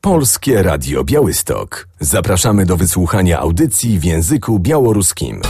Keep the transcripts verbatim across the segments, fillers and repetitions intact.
Polskie Radio Białystok. Zapraszamy do wysłuchania audycji w języku białoruskim.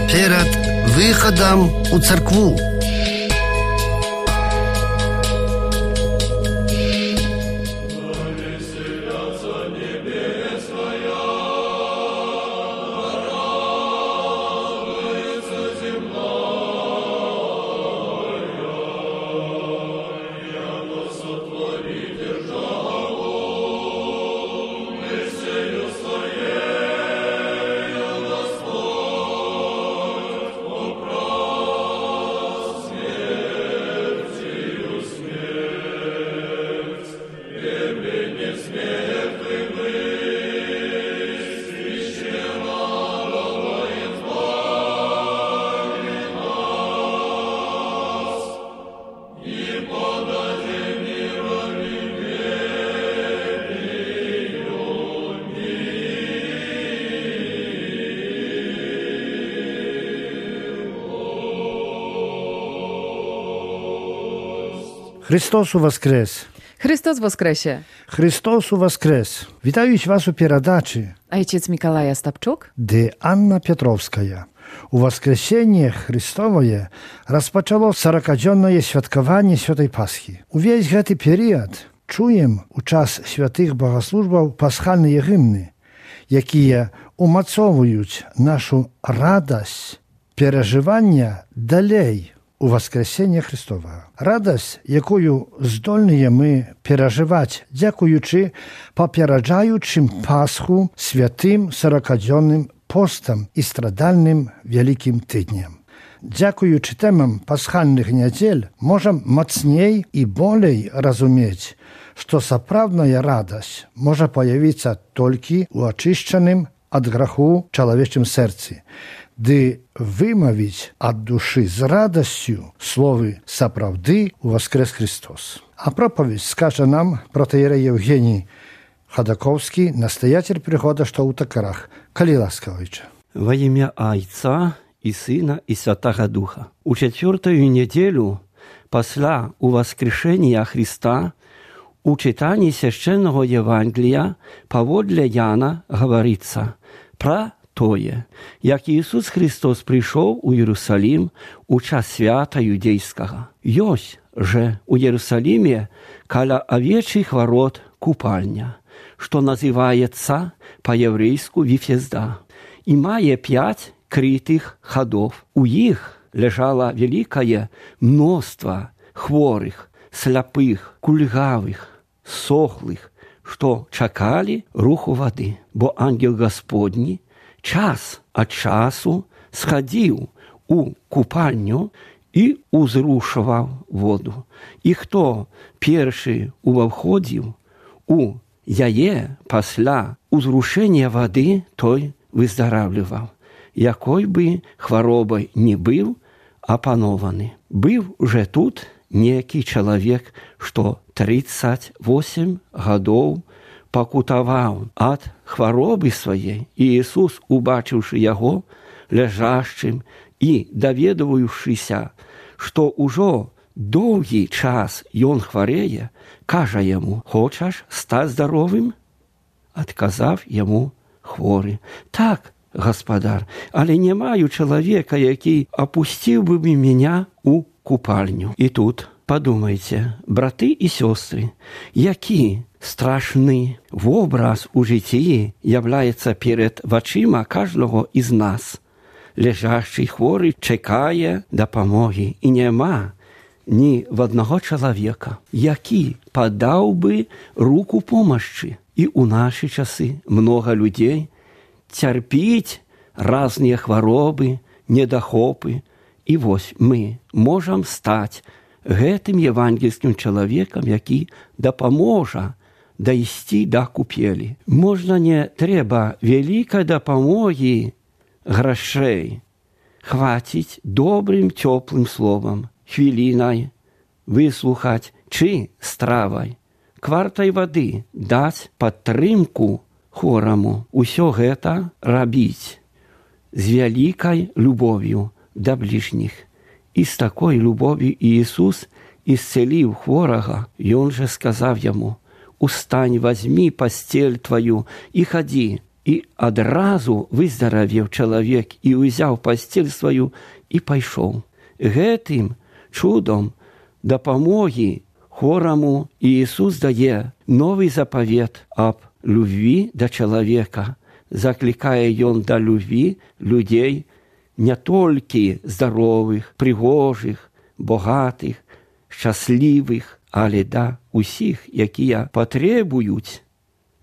Перед выходом у церкву. Христос воскрес! Христос воскресе! Христос воскрес! Witаюć Was u передачи, Ojciec Mikołaj Ostapczuk, де Анна Петровская. У воскресение Христовое rozpoczęło сорокадзённое świadkowanie Świętej Paschy. Увесь гэты период чуем у час святых богослужбаў пасхальныя гімны, якія умацоўваюць нашу радасць перажывання далей у воскресення Христовага. Радасць, якую здольныя мы перажываць, дзякуючы папераджаючым Пасху святым сорокадзённым постам і страдальным вялікім тыдням. Дзякуючы тэмам пасхальных нядзель можам мацней і болей разумець, што сапраўдная радасць можа паявіцца толькі ў ачышчаным ад граху чалавечым сэрцы, ды вымавіць ад душы з радасцю словы «сапраўды воскрес Христос». А проповедь скажа нам протоиерей Евгений Ходаковский, настоятель прихода Штаутакарах. Калі ласка, Ojcze. Во имя Отца и Сына и Святого Духа. У четвертую неделю после воскрешения Христа у читании священного Евангелия поводле Яна говорится про тое, як Ісус Христос прийшов у Єрусалим у час свята юдейського. Ёсць же у Єрусалиме каля овечьих ворот купальня, что называется по-еврейску Вифезда, и мае пять крытых ходов. У их лежало великое множество хворых, сляпых, кульгавых, сохлых, что чакали руху воды, бо ангел Господний час от часу сходил у купальню и узрушував воду. И кто перший увходил у яе пасля узрушения воды, той выздоравливал, якой бы хворобой не был опанованы. Был уже тут некий человек, что тридцать восемь годов покутовал от хворобы своей, и Иисус, убачивши его лежащим и доведывающийся, что уже долгий час он хворее, каже ему: «Хочешь стать здоровым?» Отказав ему хворый: «Так, господар, але не маю человека, який опустил бы меня у купальню». И тут подумайте, браты и сестры, які страшний образ у житті являється перед очима кожного із нас. Лежащий хворий чекає допомоги, і нема ні в одного чоловіка, який подав би руку помощи. І у наші часи много людей терпіть різні хвороби, недохопи. І ось ми можемо стати гэтым евангельским чоловіком, який допоможе дойти до купели. Можна не треба великой допомоги грошей. Хватить добрым теплым словом, хвилиной выслухать, чи стравой, квартай воды дать падтрымку хвораму. Усё гэта рабіць з великой любовью до ближних. И с такой любовью Иисус исцелил хворого, и он же сказал ему: «Устань, возьми постель твою и ходи». И одразу выздоровел человек, и взял постель свою, и пошел. Гэтым чудом допомоги хворому Иисус дає новый заповед об любви до человека, закликая он до любви людей не только здоровых, пригожих, богатых, щасливых, але да усіх, які потребують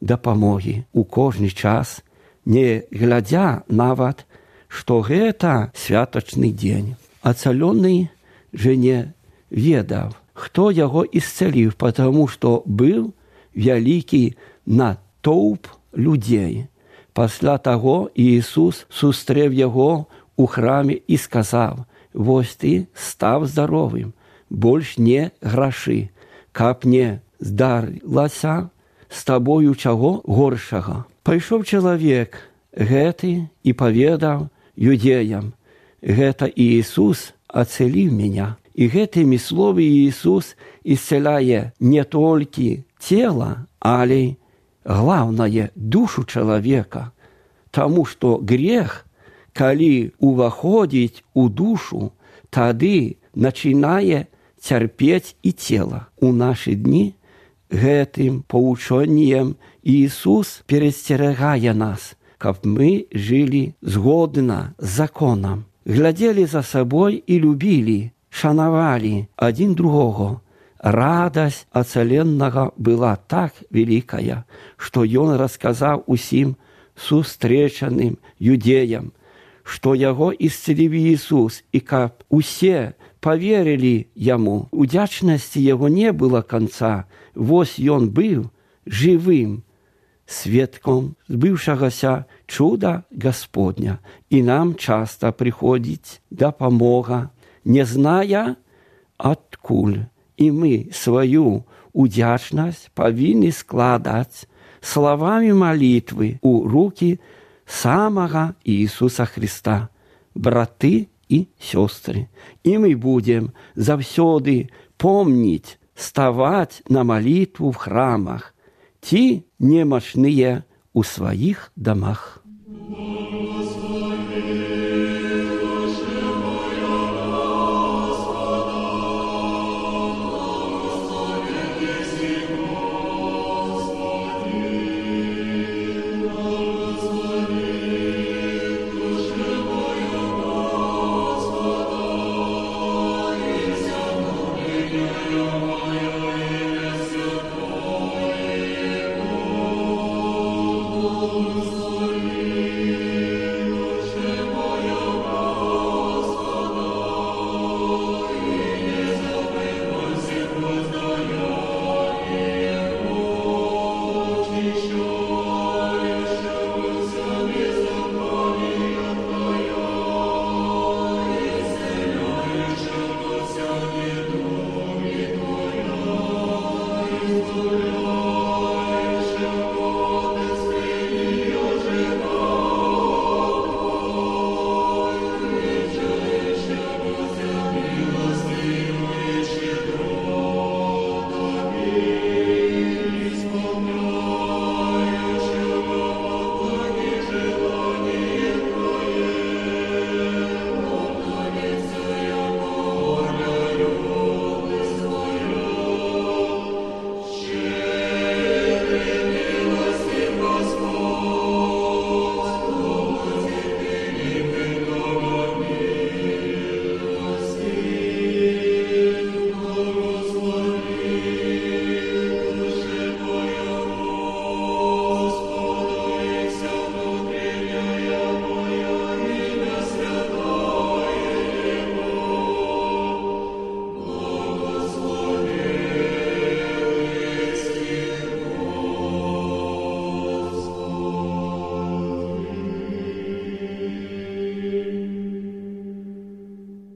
допомоги у кожний час, не глядя нават, што гэта святочный день. Ацаленный же не ведаў, хто яго исцелив, потому что был великий натоўп людей. Пасля таго Иисус сустрэў яго у храме и сказал: «Вось ты став здоровым, больш не граши, каб не здарылася з табою чаго горшага». Пайшоў чалавек гэты и поведал юдеям: «Гэта Иисус ацелив меня». И гэтымі словы Иисус исцеляе не только тело, але главное душу человека, тому что грех, калі уваходить у душу, тады начинае терпеть и тело. У наши дни гэтым поучением Иисус перестерегае нас, каб мы жили згодна с законом, глядели за собой и любили, шановали один другого. Радость ацаленного была так великая, что он рассказал усім сустречаным юдеям, что его исцелив Иисус, и каб усе поверили ему. Удячности его не было конца. Вось он был живым свідком збившогося чуда Господня, и нам часто приходит допомога, не зная откуль. И мы свою удячность повинны складать словами молитвы у руки самого Иисуса Христа, браты и сестры. И мы будем завсёды помнить, ставать на молитву в храмах, ті немощные у своих домах. Господи,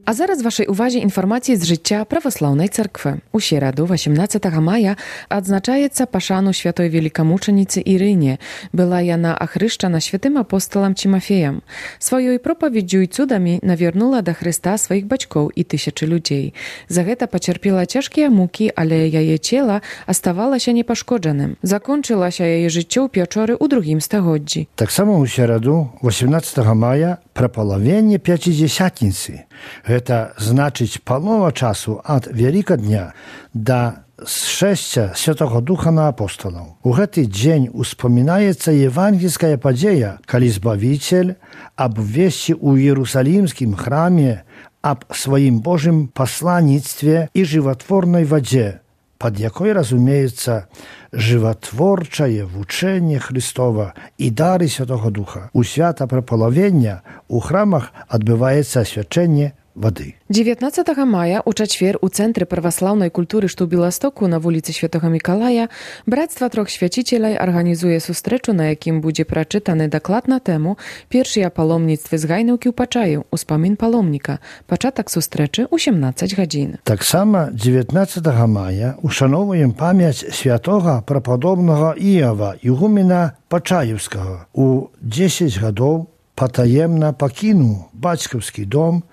А зараз вашай увазе інфармацыі з жыцця праваслаўнай царквы. У сераду, восемнадцатага мая, адзначаецца пашану святой велікамучаніцы Ірыне. Была яна ахрышчана святым апосталам Цімафеем. Сваёй пропаведдзю і цудамі навярнула да Хрыста сваіх бацькоў і тысячы людзей. За гэта пацярпела цяжкія мукі, але яе цела аставалася непашкоджаным. Закончылася яе жыццё ў пячоры ў другім стагоддзі. Таксама ў сераду, восемнадцатага мая, прапалавенне пяцідзясятніцы. Гэта значыць палова часу ад Вялікадня да зшэсця Святога Духа на апосталаў. У гэты дзень успамінаецца евангельская падзея, калі Збавіцель абвесці ў Іерусалімскім храме аб сваім Божым пасланніцтве і жыватворнай вадзе, пад якой разумеецца жыватворчае вучэнне Христова і дары Святога Духа. У свята прапалавення у храмах адбываецца асвячэнне вады. дзевятнаццатага мая у чацвер у цэнтры праваслаўнай культуры, што ў Беластоку на вуліцы Святога Мікалая, брацтва трох свяцічаляй арганізуе сустрэчу, на якім будзе прачытаны даклад на тэму «Першыя паломніцтвы з Гайнаўкі ў Пачаю. Успамін паломніка». Пачатак сустрэчы ў сямнаццаць гадзін. Таксама дзевятнаццатага мая ушаноўваем памяць святога прападобнага Іава, ігумена Пачаеўскага. У дзесяць гадоў патаемна пакінуў бацькаўскі дом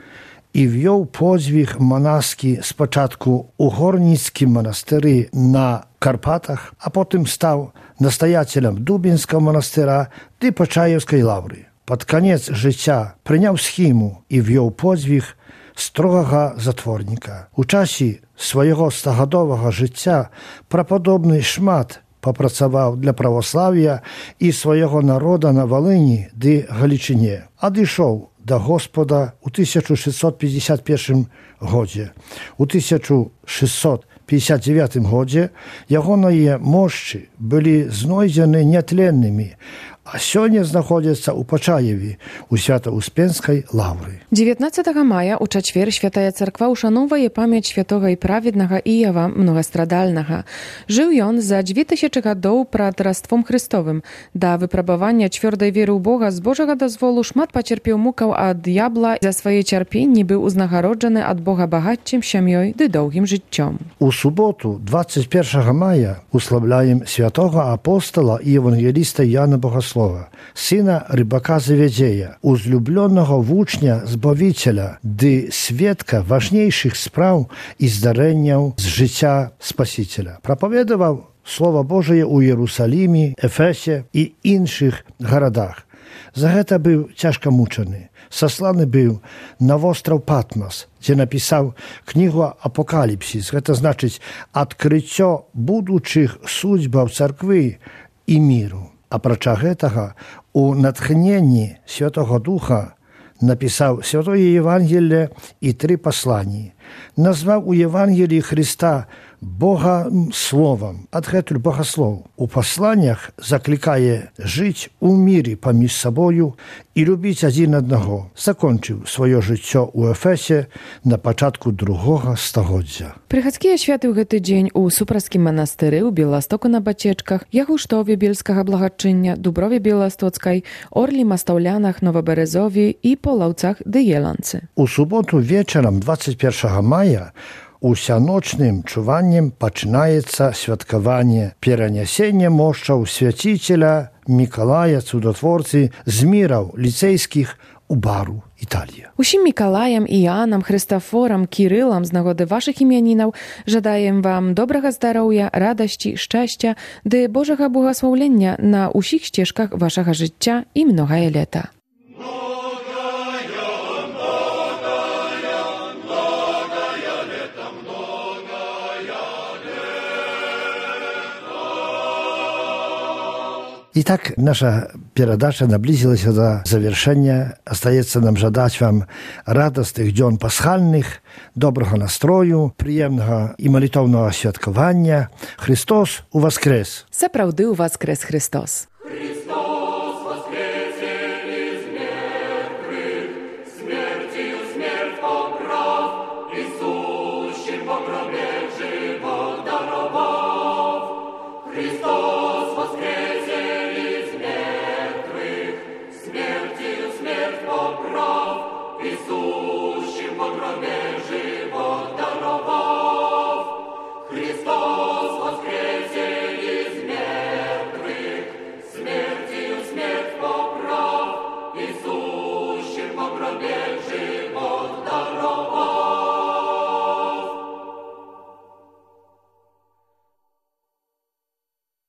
і вёў подзвіг манаскі спачатку ў горніцкім манастыры на Карпатах, а потым стаў настаяцелем Дубінскага манастыра ды Пачаеўскай лаўры. Пад канец жыцця прыняў схіму і вёў подзвіг строгага затворніка. У часе свайго стагадовага жыцця прападобны шмат папрацаваў для праваслаўя і свайго народа на Валыні ды Галічыне. Адышоў да Господа ў тысяча шэсцьсот пятьдесят першым годзе. У тысяча шэсцьсот пятьдесят девятым годзе ягоныя мошчы былі знойдзены нятленнымі, а сёння знаходзяцца ў Пачаеве, у Свята-Успенскай лаўры. дзевятнаццатага мая у чацвер святая царква ушаноўвае памяць святога і праведнага Іава Многастрадальнага. Жыў ён за дзве тысячы гадоў прад Раством Христовым. Да выпрабавання цвёрдай веры ў Бога з Божага дазволу шмат пацярпеў мукаў ад д'ябла, за свае цярпенні быў узнагароджаны ад Бога багаццем, сям'ёй ды доўгім жыццём. У суботу, двадцять первого мая, уславляем святого апостола и евангелиста Яна Богослова, сына рыбака Заведзея, узлюбленного вучня Збавителя, ды сведка важнейших спраў и здарэнняў з жыцця Спасителя. Проповедовал Слово Божие у Иерусалиме, Эфесе и іншых городах. За гэта быў цяжка мучаны. Сасланы быў на востраў Патмас, дзе напісаў кнігу «Апокаліпсіс». Гэта значыць адкрыццё будучых судьбаў царквы і міру. Апрача гэтага, у натхненні Святого Духа напісаў Святое Евангелие і тры пасланні. Назваў у Евангелии Христа Бога словам, адгэтуль богослов. У пасланнях заклікае жыць у міры паміж сабою і любіць адзін аднаго. Закончыў сваё жыццё ў Эфесе на пачатку другога стагоддзя. Прыхадскія святы ў гэты дзень у Супраскім манастыры, у Беластоку на Бацечках, Ягуштове Бельскага благачыння, Дуброве Беластоцкай, Орлі Мастаўлянах, Новаберезові і Полаўцах ды Еланцы. У суботу вечарам двадцять первого мая усяночным чуваннем пачынаецца святкаванне перанясення мошчаў свяціцеля Мікалая Цудотворцы з міраў ліцейскіх у Бару, Італія. Усім Мікалаям, Іанам, Хрыстафорам, Кірылам з нагоды вашых імянінаў жадаем вам добрага здароўя, радасці, шчасця ды Божага благаслаўлення на ўсіх сцежках вашага жыцця і многае лета. Итак, наша передача наблизилась до завершения. Остается нам жадать вам радостных дзён пасхальных, доброго настрою, приемного и молитовного святкування. Христос у воскрес! Сапраўды у воскрес Христос!